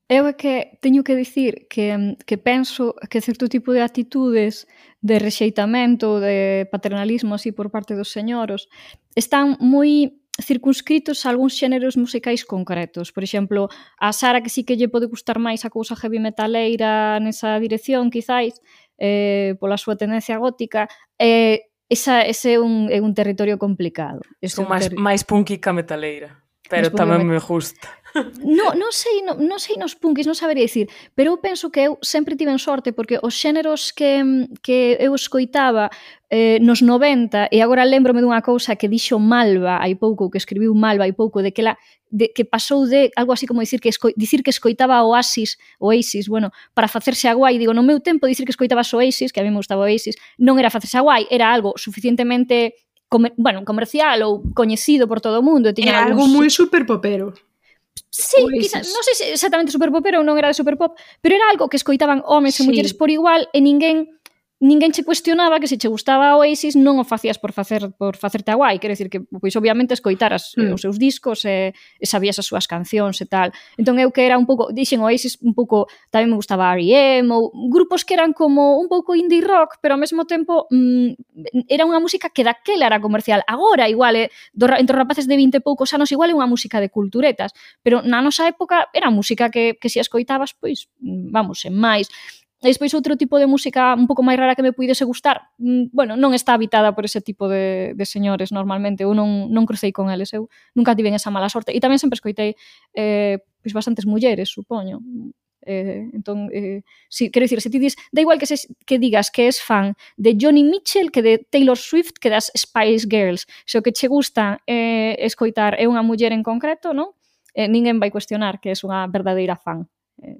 [SPEAKER 5] Eu é que teño que dicir que penso que certo tipo de actitudes de rexeitamento, de paternalismo así por parte dos señoros están moi circunscritos a algúns xéneros musicais concretos. Por exemplo, a Sara que sí que lle pode gustar máis a cousa heavy metaleira nesa dirección, quizáis, pola súa tendencia gótica, ese é un territorio complicado.
[SPEAKER 6] Son máis punky que a metaleira, pero tamén me gusta.
[SPEAKER 5] Non sei nos punkis, non sabería dicir, pero eu penso que eu sempre tiven sorte porque os xéneros que eu escoitaba nos 90, e agora lembrome dunha cousa que dixo Malva hai pouco, que escribiu Malva hai pouco, de que pasou de algo así como dicir que escoitaba Oasis, bueno, para facerse a guai. Digo, no meu tempo dicir que escoitaba Oasis, que a mí me gustaba Oasis, non era facerse a guai, era algo suficientemente comercial ou coñecido por todo o mundo.
[SPEAKER 4] Era algo moi superpopero.
[SPEAKER 5] Sí, quizá, non sei se exactamente superpopero ou non era de superpop, pero era algo que escoitaban homes e mulleres por igual e ninguén che cuestionaba que se che gustaba Oasis non o facías por facerte a guai, quero dicir que pois obviamente escoitaras os seus discos e sabías as súas cancións e tal. Entón eu que era un pouco, dixen Oasis un pouco, tamén me gustaba R.E.M. ou grupos que eran como un pouco indie rock, pero ao mesmo tempo era unha música que daquela era comercial. Agora igual entre os rapaces de 20 e poucos anos igual é unha música de culturetas, pero na nosa época era música que se escoitabas, pois, vamos, en máis. E despois outro tipo de música un pouco máis rara que me puidese gustar, bueno, non está habitada por ese tipo de señores normalmente, eu non crucei con eles, eu nunca tiven esa mala sorte, e tamén sempre escoitei pois bastantes mulleres, supoño. Entón, sí, quero dicir, se ti dis, da igual que digas que és fan de Joni Mitchell que de Taylor Swift que das Spice Girls, se o que che gusta escoitar é unha muller en concreto, non? Ninguén vai cuestionar que és unha verdadeira fan,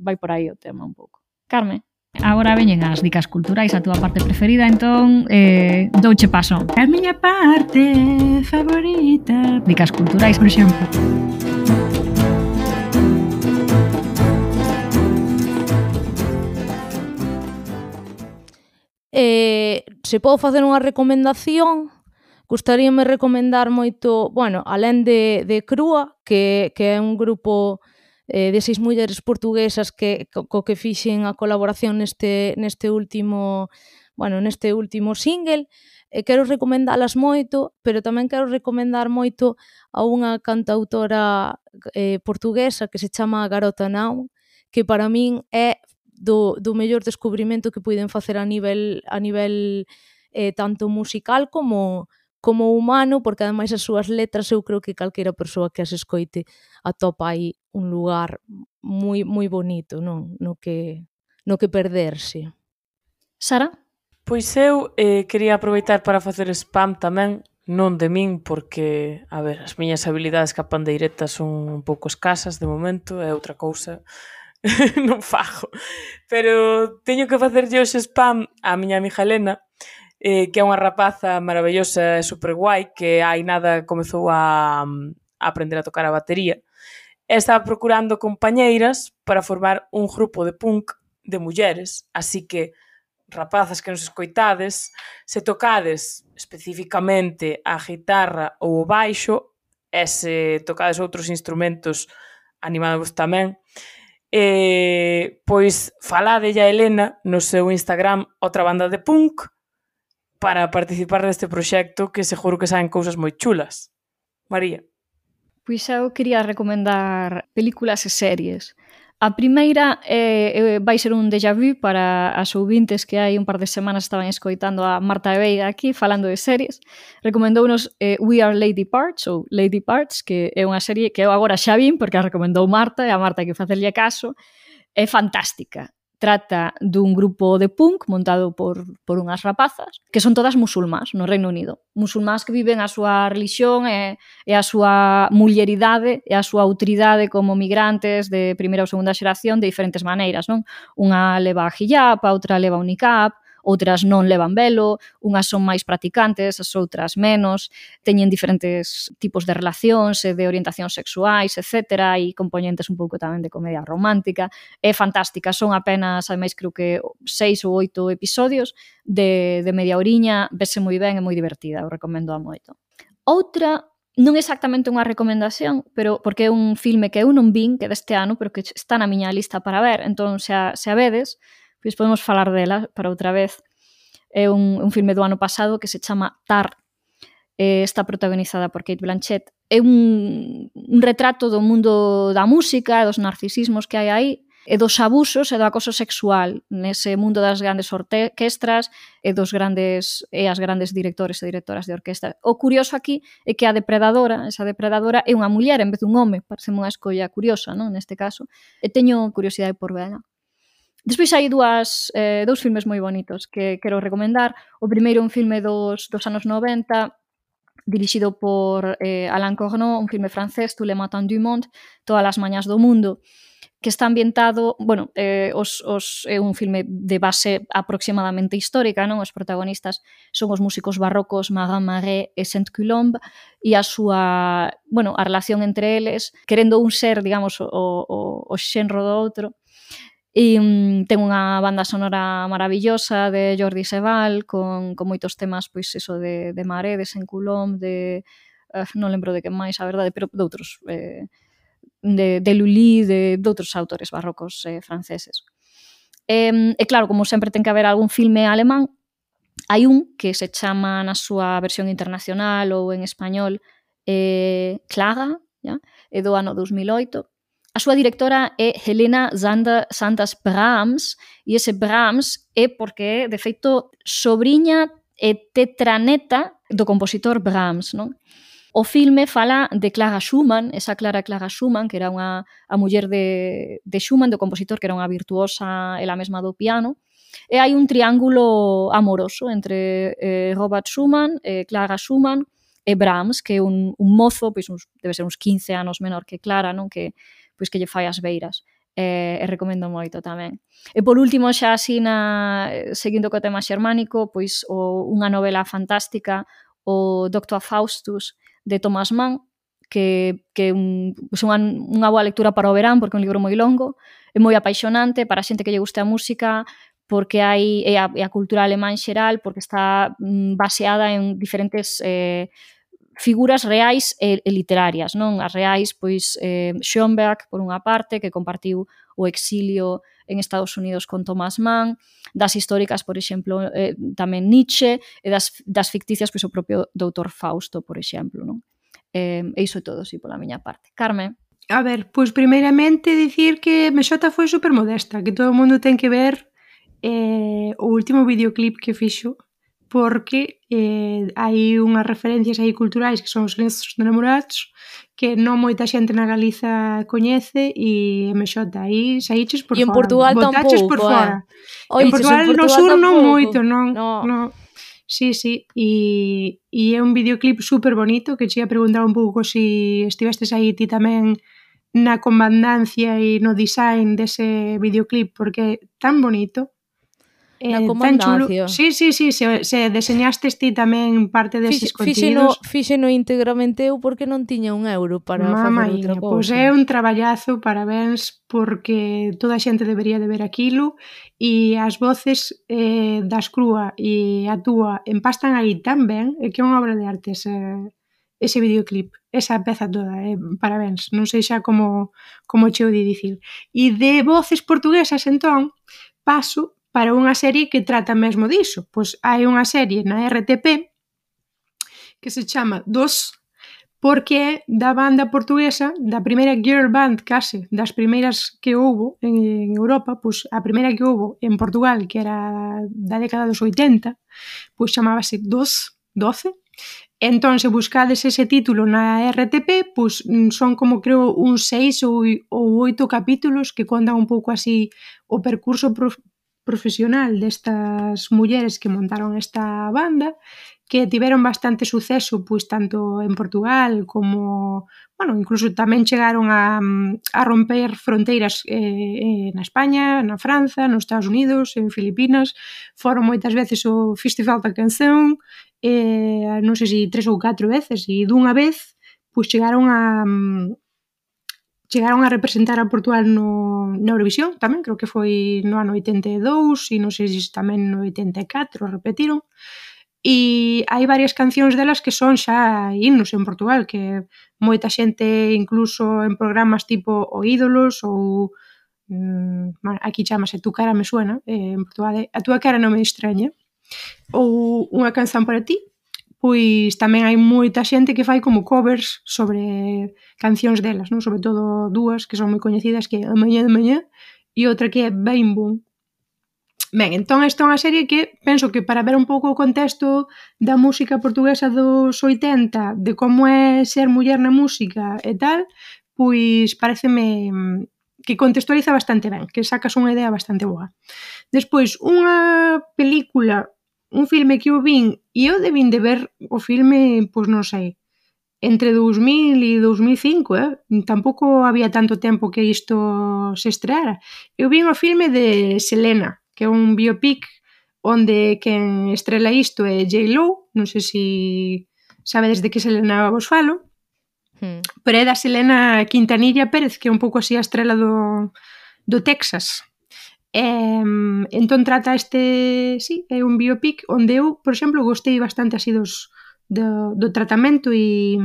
[SPEAKER 5] vai por aí o tema un pouco. Carme? Agora veñen as dicas culturais, a túa parte preferida, entón douche paso.
[SPEAKER 4] A miña parte favorita.
[SPEAKER 5] Dicas culturais, por exemplo.
[SPEAKER 3] Se podo facer unha recomendación, gustaríame recomendar moito, bueno, alén de Crúa, que é un grupo de 6 mulleres portuguesas co que fixen a colaboración neste último single. Quero recomendalas moito, pero tamén quero recomendar moito a unha cantautora portuguesa que se chama Garota Now, que para min é do mellor descubrimento que puiden facer a nivel tanto musical como humano, porque ademais as súas letras eu creo que calquera persoa que as escoite atopa aí un lugar moi moi bonito, non? No que perderse.
[SPEAKER 5] Sara?
[SPEAKER 6] Pois eu quería aproveitar para facer spam tamén, non de min, porque, a ver, as miñas habilidades ca pandeireta son un pouco escasas de momento, é outra cousa non fago, pero teño que facerlle hoxe spam á miña amiga Elena, que é unha rapaza maravillosa e super guai, que hai nada comezou a aprender a tocar a batería, e estaba procurando compañeiras para formar un grupo de punk de mulleres, así que rapazas que nos escoitades, se tocades especificamente a guitarra ou o baixo, e se tocades outros instrumentos, animadvos tamén, pois faladelle a Elena no seu Instagram Outra Banda de Punk para participar deste proxecto que seguro que saen cousas moi chulas. María?
[SPEAKER 5] Pois eu quería recomendar películas e series. A primeira vai ser un déjà vu para as ouvintes que hai un par de semanas estaban escoitando a Marta e Veiga aquí falando de series. Recomendounos We Are Lady Parts ou Lady Parts, que é unha serie que eu agora xa vin porque a recomendou Marta e a Marta hai que facerlle caso. É fantástica. Trata dun grupo de punk montado por unhas rapazas que son todas musulmás no Reino Unido. Musulmás que viven a súa religión e a súa mulleridade e a súa autoridade como migrantes de primeira ou segunda xeración de diferentes maneiras, non? Unha leva a hijab, a outra leva un niqab, outras non levan velo, unhas son máis practicantes, as outras menos, teñen diferentes tipos de relacións e de orientacións sexuais, etc. E componentes un pouco tamén de comedia romántica. É fantástica, son apenas, ademais, creo que 6 ou 8 episodios de media horiña, vese moi ben e moi divertida, o recomendo a moito. Outra, non exactamente unha recomendación, pero porque é un filme que eu non vin, que deste ano, pero que está na miña lista para ver, entón se a vedes, pois podemos falar dela para outra vez. É un filme do ano pasado que se chama Tar. Está protagonizada por Cate Blanchett. É un retrato do mundo da música e dos narcisismos que hai aí. e dos abusos e do acoso sexual nese mundo das grandes orquestras e as grandes directores e directoras de orquestra. O curioso aquí é que esa depredadora é unha muller en vez dun home, parece unha escolla curiosa, non? Neste caso, e teño curiosidade por vela. Despois hai dous filmes moi bonitos que quero recomendar. O primeiro é un filme dos anos 90, dirixido por Alain Corneau, un filme francés, Tous les matins du monde, Todas as mañas do mundo, que está ambientado, é un filme de base aproximadamente histórica, non? Os protagonistas son os músicos barrocos Marin Marais e Saint-Colombe, e a relación entre eles, querendo un ser, digamos, o xenro do outro. E ten unha banda sonora maravillosa de Jordi Sebal con moitos temas, pois eso, de Marais, de Saint-Colombe, non lembro de que máis, a verdade, pero de outros, de Lully, de outros autores barrocos franceses. E claro, como sempre ten que haber algún filme alemán, hai un que se chama na súa versión internacional ou en español Clara, é do ano 2008. A súa directora é Helena Sanders Brahms, e ese Brahms é porque, de feito, sobriña e tetraneta do compositor Brahms, non? O filme fala de Clara Schumann, esa Clara Schumann, que era a muller de Schumann, do compositor, que era unha virtuosa ela mesma do piano, e hai un triángulo amoroso entre Robert Schumann, Clara Schumann e Brahms, que é un mozo, pois debe ser uns 15 anos menor que Clara, non? Que lle fai as beiras. E recomendo moito tamén. E por último, xa así seguindo co tema xermánico, pois unha novela fantástica, o Dr. Faustus, de Thomas Mann, que é unha boa lectura para o verán, porque é un libro moi longo, é moi apaixonante para a xente que lle guste a música, porque é a cultura alemán xeral, porque está baseada en diferentes figuras reais e literarias, non? As reais, pois, Schoenberg, por unha parte, que compartiu o exilio en Estados Unidos con Thomas Mann, das históricas, por exemplo, tamén Nietzsche, e das ficticias, pois o propio Dr. Fausto, por exemplo, non? E iso é todo, sí, pola miña parte. Carme?
[SPEAKER 4] A ver, pois primeiramente dicir que Mexota foi supermodesta, que todo o mundo ten que ver o último videoclip que fixo, porque hai unhas referencias aí culturais que son os lenços de namorados que non moita xente na Galiza coñece, e Mexota, aí saíches por fora.
[SPEAKER 3] E en Portugal tampouco,
[SPEAKER 4] por fora.
[SPEAKER 3] En
[SPEAKER 4] Portugal no sur non moito, non. Sí, e é un videoclip super bonito, que che ia preguntar un pouco se estivestes aí ti tamén na comandancia e no design dese videoclip, porque é tan bonito.
[SPEAKER 3] Na comandancia.
[SPEAKER 4] Sí, se deseñastes ti tamén parte deses contidos.
[SPEAKER 3] Fíxeno íntegramente eu porque non tiña un euro para facer outra cousa.
[SPEAKER 4] Pois é un traballazo, parabéns, porque toda a xente debería de ver aquilo, e as voces das Crúa e a túa empastan aí tan ben, que é unha obra de arte ese videoclip, esa peza toda, parabéns, non sei xa como cheo de dicir. E de voces portuguesas, entón, paso para unha serie que trata mesmo diso. Pois hai unha serie na RTP que se chama Dos, porque é da banda portuguesa, da primeira girl band case, das primeiras que houbo en Europa, pois a primeira que houbo en Portugal, que era da década dos 80, pois chamábase 12. Entón, se buscades ese título na RTP, pois son como creo uns 6 ou 8 capítulos que contan un pouco así o percurso profesional destas mulleres que montaron esta banda, que tiveron bastante suceso, pois tanto en Portugal como, incluso tamén chegaron a romper fronteiras na España, na Franza, nos Estados Unidos, en Filipinas, foron moitas veces o Festival da Canción, non sei se 3 ou 4 veces, e dunha vez, pois chegaron a representar a Portugal na Eurovisión tamén, creo que foi no ano 82 e non sei se tamén no 84 repetiron, e hai varias cancións delas que son xa himnos en Portugal, que moita xente incluso en programas tipo O Ídolos ou aquí chamase Tu cara me suena, en Portugal A túa cara non me extraña, ou Unha canción para ti. Pois tamén hai moita xente que fai como covers sobre cancións delas, non? Sobre todo dúas que son moi coñecidas, que é A mañá de mañá e outra que é Bam Boom. Ben, entón esta é unha serie que penso que para ver un pouco o contexto da música portuguesa dos 80, de como é ser muller na música e tal, pois pareceme que contextualiza bastante ben, que sacas unha idea bastante boa. Despois, unha película, un filme que eu vin, e eu debín de ver o filme, pois non sei, entre 2000 e 2005, tampouco había tanto tempo que isto se estreara. Eu vin o filme de Selena, que é un biopic onde quen estrela isto é J.Lo, non sei se sabedes de que Selena vos falo, pero é da Selena Quintanilla Pérez, que é un pouco así a estrela do Texas. Entón trata sí, é un biopic onde eu, por exemplo, gostei bastante así do tratamento e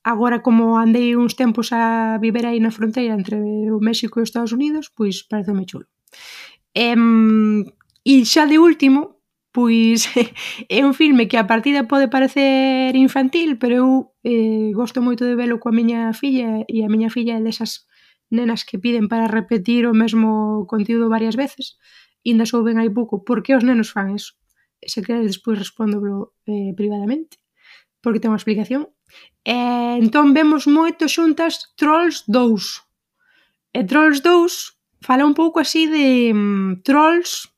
[SPEAKER 4] agora como andei uns tempos a viver aí na fronteira entre o México e os Estados Unidos, pois pareceme chulo. E xa de último, pois é un filme que a partida pode parecer infantil, pero eu gosto moito de velo coa miña filla, e a miña filla é desas nenas que piden para repetir o mesmo contido varias veces, e ainda souben hai pouco por que os nenos fan eso. Se queres despois respóndolo privadamente, porque ten unha explicación. Entón vemos moito xuntas Trolls 2. E Trolls 2 fala un pouco así de trolls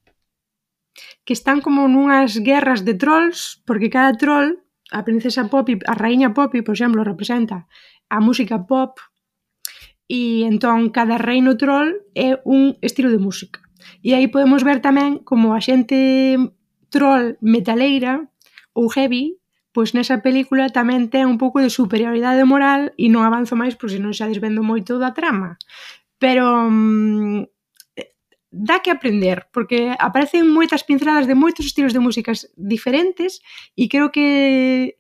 [SPEAKER 4] que están como nunhas guerras de trolls, porque cada troll, a princesa Poppy, a raíña Poppy, por exemplo, representa a música pop, e entón cada reino troll é un estilo de música. E aí podemos ver tamén como a xente troll metaleira ou heavy, pois nesa película tamén ten un pouco de superioridade moral, e non avanzo máis porque senón xa desvendo moito da trama. Pero dá que aprender, porque aparecen moitas pinceladas de moitos estilos de músicas diferentes, e creo que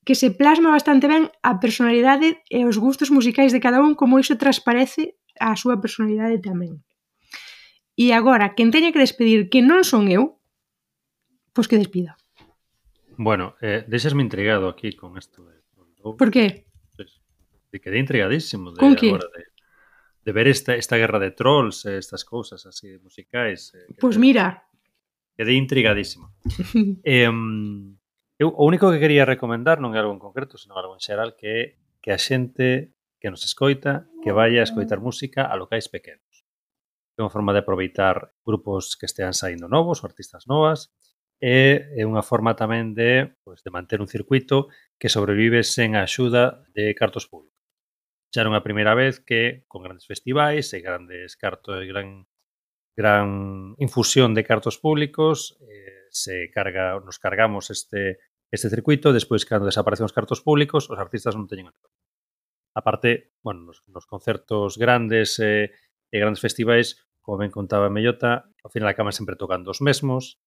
[SPEAKER 4] se plasma bastante ben a personalidade e os gustos musicais de cada un, como iso transparece a súa personalidade tamén. E agora, quen teña que despedir que non son eu, pois que despida.
[SPEAKER 2] Bueno, deixasme intrigado aquí con isto.
[SPEAKER 4] Por que?
[SPEAKER 2] Quedei intrigadísimo
[SPEAKER 4] con que?
[SPEAKER 2] Agora de ver esta guerra de trolls, estas cousas así musicais.
[SPEAKER 4] Pois mira.
[SPEAKER 2] Quedei intrigadísimo. Eu o único que quería recomendar non é algo en concreto, senón algo en xeral, que a xente que nos escoita, que vaya a escoitar música a locais pequenos. É unha forma de aproveitar grupos que estean saindo novos, ou artistas novas, e é unha forma tamén de manter un circuito que sobrevive sen a axuda de cartos públicos. Xa era unha primeira vez que, con grandes festivais e grandes cartos, gran infusión de cartos públicos, nos cargamos este circuito. Despois, cando desaparecen os cartos públicos, os artistas non teñen nada. A parte, nos concertos grandes e grandes festivais, como ben contaba Mellota, ao final acaban sempre tocando os mesmos,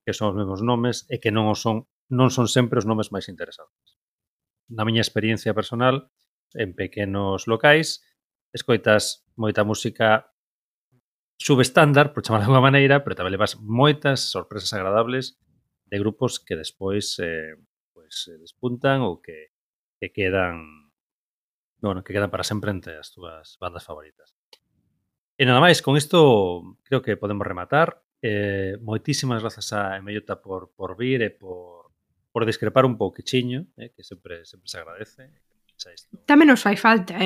[SPEAKER 2] que son os mesmos nomes, e que non son sempre os nomes máis interesantes. Na miña experiencia personal, en pequenos locais, escoitas moita música subestándar, por chamarla de alguma maneira, pero tamén levas moitas sorpresas agradables de grupos que despois despuntan ou que quedan para sempre entre as túas bandas favoritas. E nada máis, con isto creo que podemos rematar. Moitísimas grazas a Mellota por vir e por discrepar un pouquichiño, que sempre se agradece.
[SPEAKER 4] Tamén nos fai falta,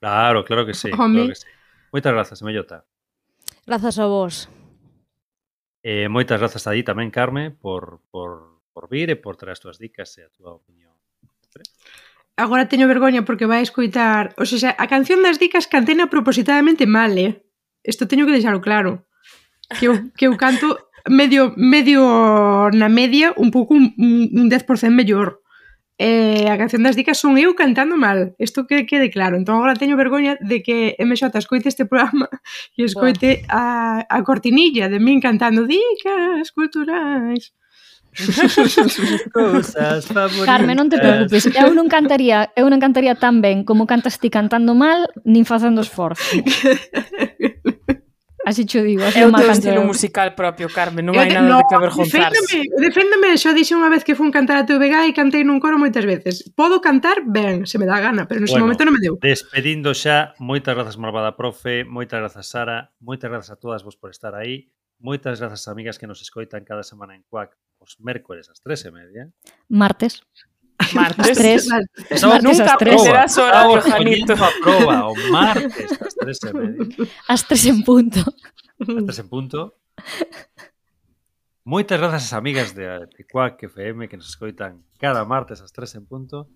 [SPEAKER 2] Claro que sí. Moitas grazas, Mellota.
[SPEAKER 3] Grazas a vos.
[SPEAKER 2] Moitas grazas a ti tamén, Carme, por vir e por traer as túas dicas e a túa opinión.
[SPEAKER 4] Agora teño vergoña porque vai escoitar... O sea, a canción das dicas cantena propositadamente mal, Isto teño que deixalo claro. Que eu canto medio na media, un pouco un 10% mellor. A canción das dicas son eu cantando mal. Isto que quede claro. Entón agora teño vergoña de que MJ escoite este programa e escoite a cortinilla de min cantando dicas culturais.
[SPEAKER 2] Cousas favoritas.
[SPEAKER 5] Carmen, non te preocupes, eu non cantaría tan ben como cantas ti cantando mal, nin facendo esforzo. Así cho digo, así
[SPEAKER 6] É o
[SPEAKER 5] má
[SPEAKER 6] teu
[SPEAKER 5] canto
[SPEAKER 6] estilo
[SPEAKER 5] eu.
[SPEAKER 6] musical propio, Carmen, non hai nada de que avergonzarse.
[SPEAKER 4] Deféndeme, xa dixen unha vez que fun cantar a TVG e cantei nun coro moitas veces. Podo cantar ben, se me dá gana, pero nese momento non me deu.
[SPEAKER 2] Despedindo xa, moitas grazas, malvada profe, moitas grazas, Sara, moitas grazas a todas vos por estar aí, moitas grazas, amigas que nos escoitan cada semana en Cuac, os mércores ás 3:30.
[SPEAKER 5] Martes.
[SPEAKER 6] Martes.
[SPEAKER 5] Martes
[SPEAKER 6] Nunca
[SPEAKER 5] ás 3.
[SPEAKER 6] aprenderás o horario, Janito.
[SPEAKER 2] A proba, o martes ás 3:30.
[SPEAKER 5] Ás 3 en punto.
[SPEAKER 2] Ás 3 en punto. Moitas grazas ás amigas de Cuac FM que nos escoitan cada martes ás 3 en punto.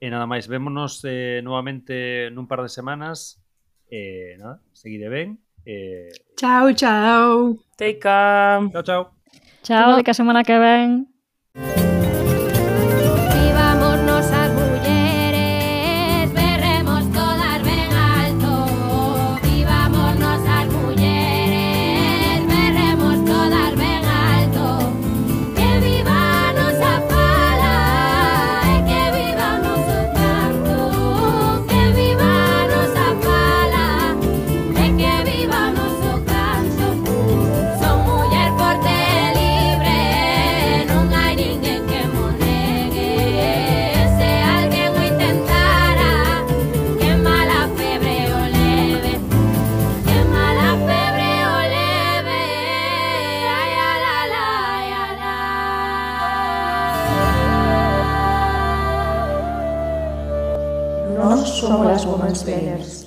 [SPEAKER 2] E nada máis, vémonos novamente nun par de semanas. Nada, seguide ben.
[SPEAKER 4] Chao, chao.
[SPEAKER 6] Take care.
[SPEAKER 2] Chao, chao.
[SPEAKER 5] Chao, de que a semana que ven.
[SPEAKER 7] Vivámonos as mulleres, berremos todas ben alto. Vivámonos as mulleres, berremos todas ben alto. Que viva a nosa fala e que viva o noso canto. Que viva a nosa fala e que viva o noso canto. Son muller forte e libre, non hai ninguén que mo negue. Se alguén o intentara, que mala febre o leve. Que mala febre o leve. Ai, ala, la, ai, ala.
[SPEAKER 1] Nós somos as womansplainers.